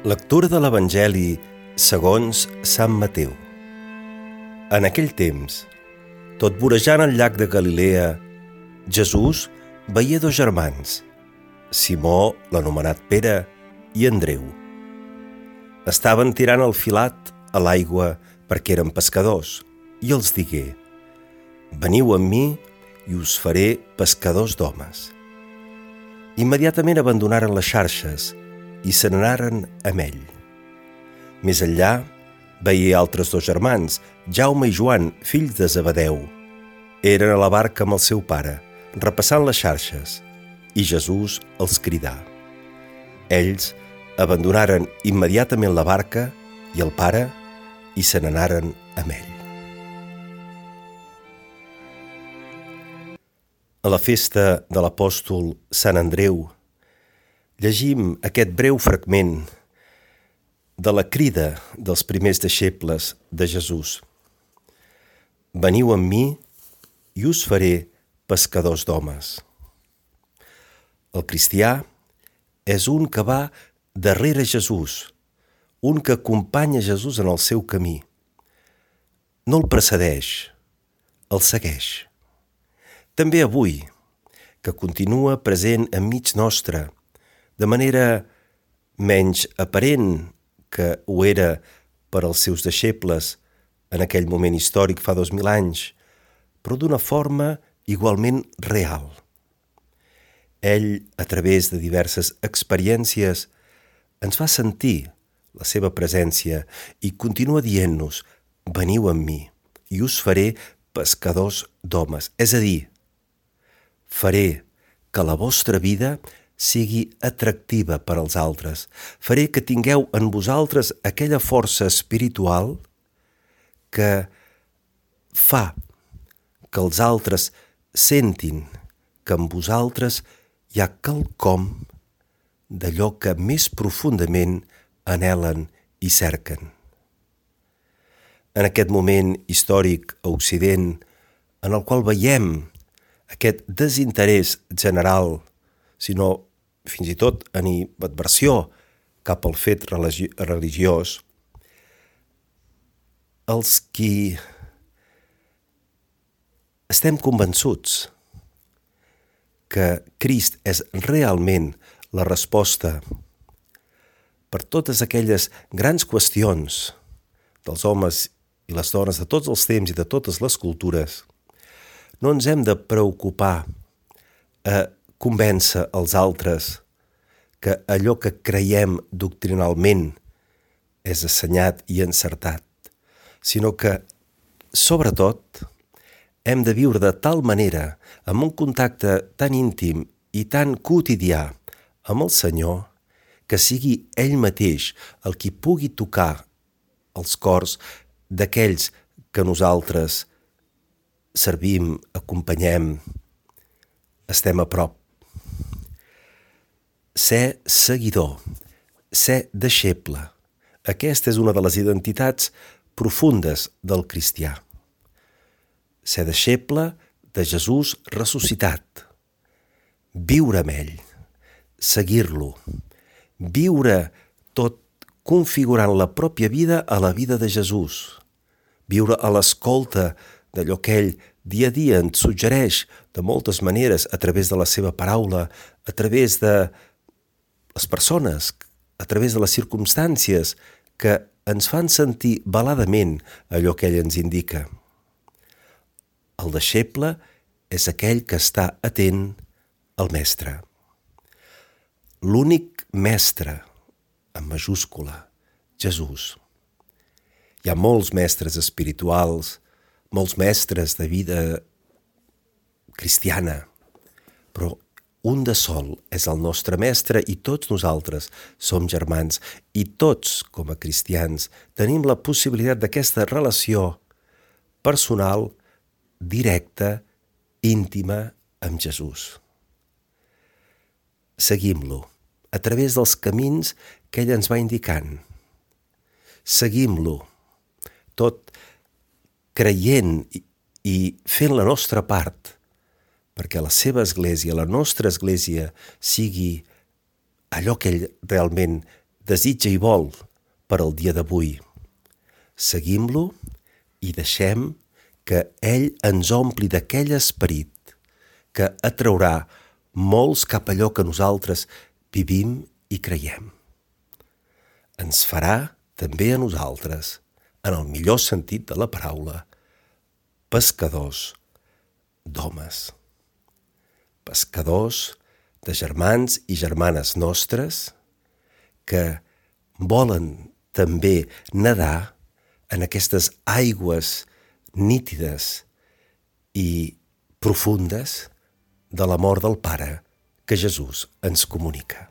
Lectura de l'Evangeli segons Sant Mateu. En aquell temps, tot vorejant el llac de Galilea, Jesús veia dos germans, Simó, l'anomenat Pere, i Andreu. Estaven tirant el filat a l'aigua perquè eren pescadors, i els digué: «Veniu amb mi i us faré pescadors d'homes». Immediatament abandonaren les xarxes i se n'anaren amb ell. Més enllà, veia altres dos germans, Jaume i Joan, fills de Zebedeu. Eren a la barca amb el seu pare, repassant les xarxes, i Jesús els cridà. Ells abandonaren immediatament la barca i el pare i se n'anaren amb ell. A la festa de l'apòstol Sant Andreu llegim aquest breu fragment de la crida dels primers deixebles de Jesús. «Veniu amb mi i us faré pescadors d'homes». El cristià és un que va darrere Jesús, un que acompanya Jesús en el seu camí. No el precedeix, el segueix. També avui, que continua present enmig nostre, de manera menys aparent que ho era per als seus deixebles en aquell moment històric fa 2000 anys, però d'una forma igualment real. Ell, a través de diverses experiències, ens fa sentir la seva presència i continua dient-nos: «Veniu amb mi i us faré pescadors d'homes». És a dir, faré que la vostra vida sigui atractiva per als altres. Faré que tingueu en vosaltres aquella força espiritual que fa que els altres sentin que en vosaltres hi ha quelcom d'allò que més profundament anhelen i cerquen. En aquest moment històric a Occident, en el qual veiem aquest desinterès general, sinó fins i tot animadversió cap al fet religiós, els qui estem convençuts que Crist és realment la resposta per totes aquelles grans qüestions dels homes i les dones de tots els temps i de totes les cultures, no ens hem de preocupar a convèncer els altres que allò que creiem doctrinalment és assenyat i encertat, sinó que, sobretot, hem de viure de tal manera, amb un contacte tan íntim i tan quotidià amb el Senyor, que sigui ell mateix el qui pugui tocar els cors d'aquells que nosaltres servim, acompanyem, estem a prop. Ser seguidor, ser deixeble. Aquesta és una de les identitats profundes del cristià. Ser deixeble de Jesús ressuscitat. Viure amb ell, seguir-lo, viure tot configurant la pròpia vida a la vida de Jesús, viure a l'escolta d'allò que ell dia a dia ens suggereix de moltes maneres a través de la seva paraula, a través de les persones, a través de les circumstàncies que ens fan sentir veladament allò que ell ens indica. El deixeble és aquell que està atent al mestre. L'únic mestre, en majúscula, Jesús. Hi ha molts mestres espirituals, molts mestres de vida cristiana, però un de sol és el nostre mestre i tots nosaltres som germans i tots, com a cristians, tenim la possibilitat d'aquesta relació personal, directa, íntima amb Jesús. Seguim-lo a través dels camins que ell ens va indicant. Seguim-lo, tot creient i fent la nostra part perquè la seva església, la nostra església, sigui allò que ell realment desitja i vol per al dia d'avui. Seguim-lo i deixem que ell ens ompli d'aquell esperit que atraurà molts cap a allò que nosaltres vivim i creiem. Ens farà també a nosaltres, en el millor sentit de la paraula, pescadors d'homes. Pescadors de germans i germanes nostres que volen també nedar en aquestes aigües nítides i profundes de l'amor del Pare que Jesús ens comunica.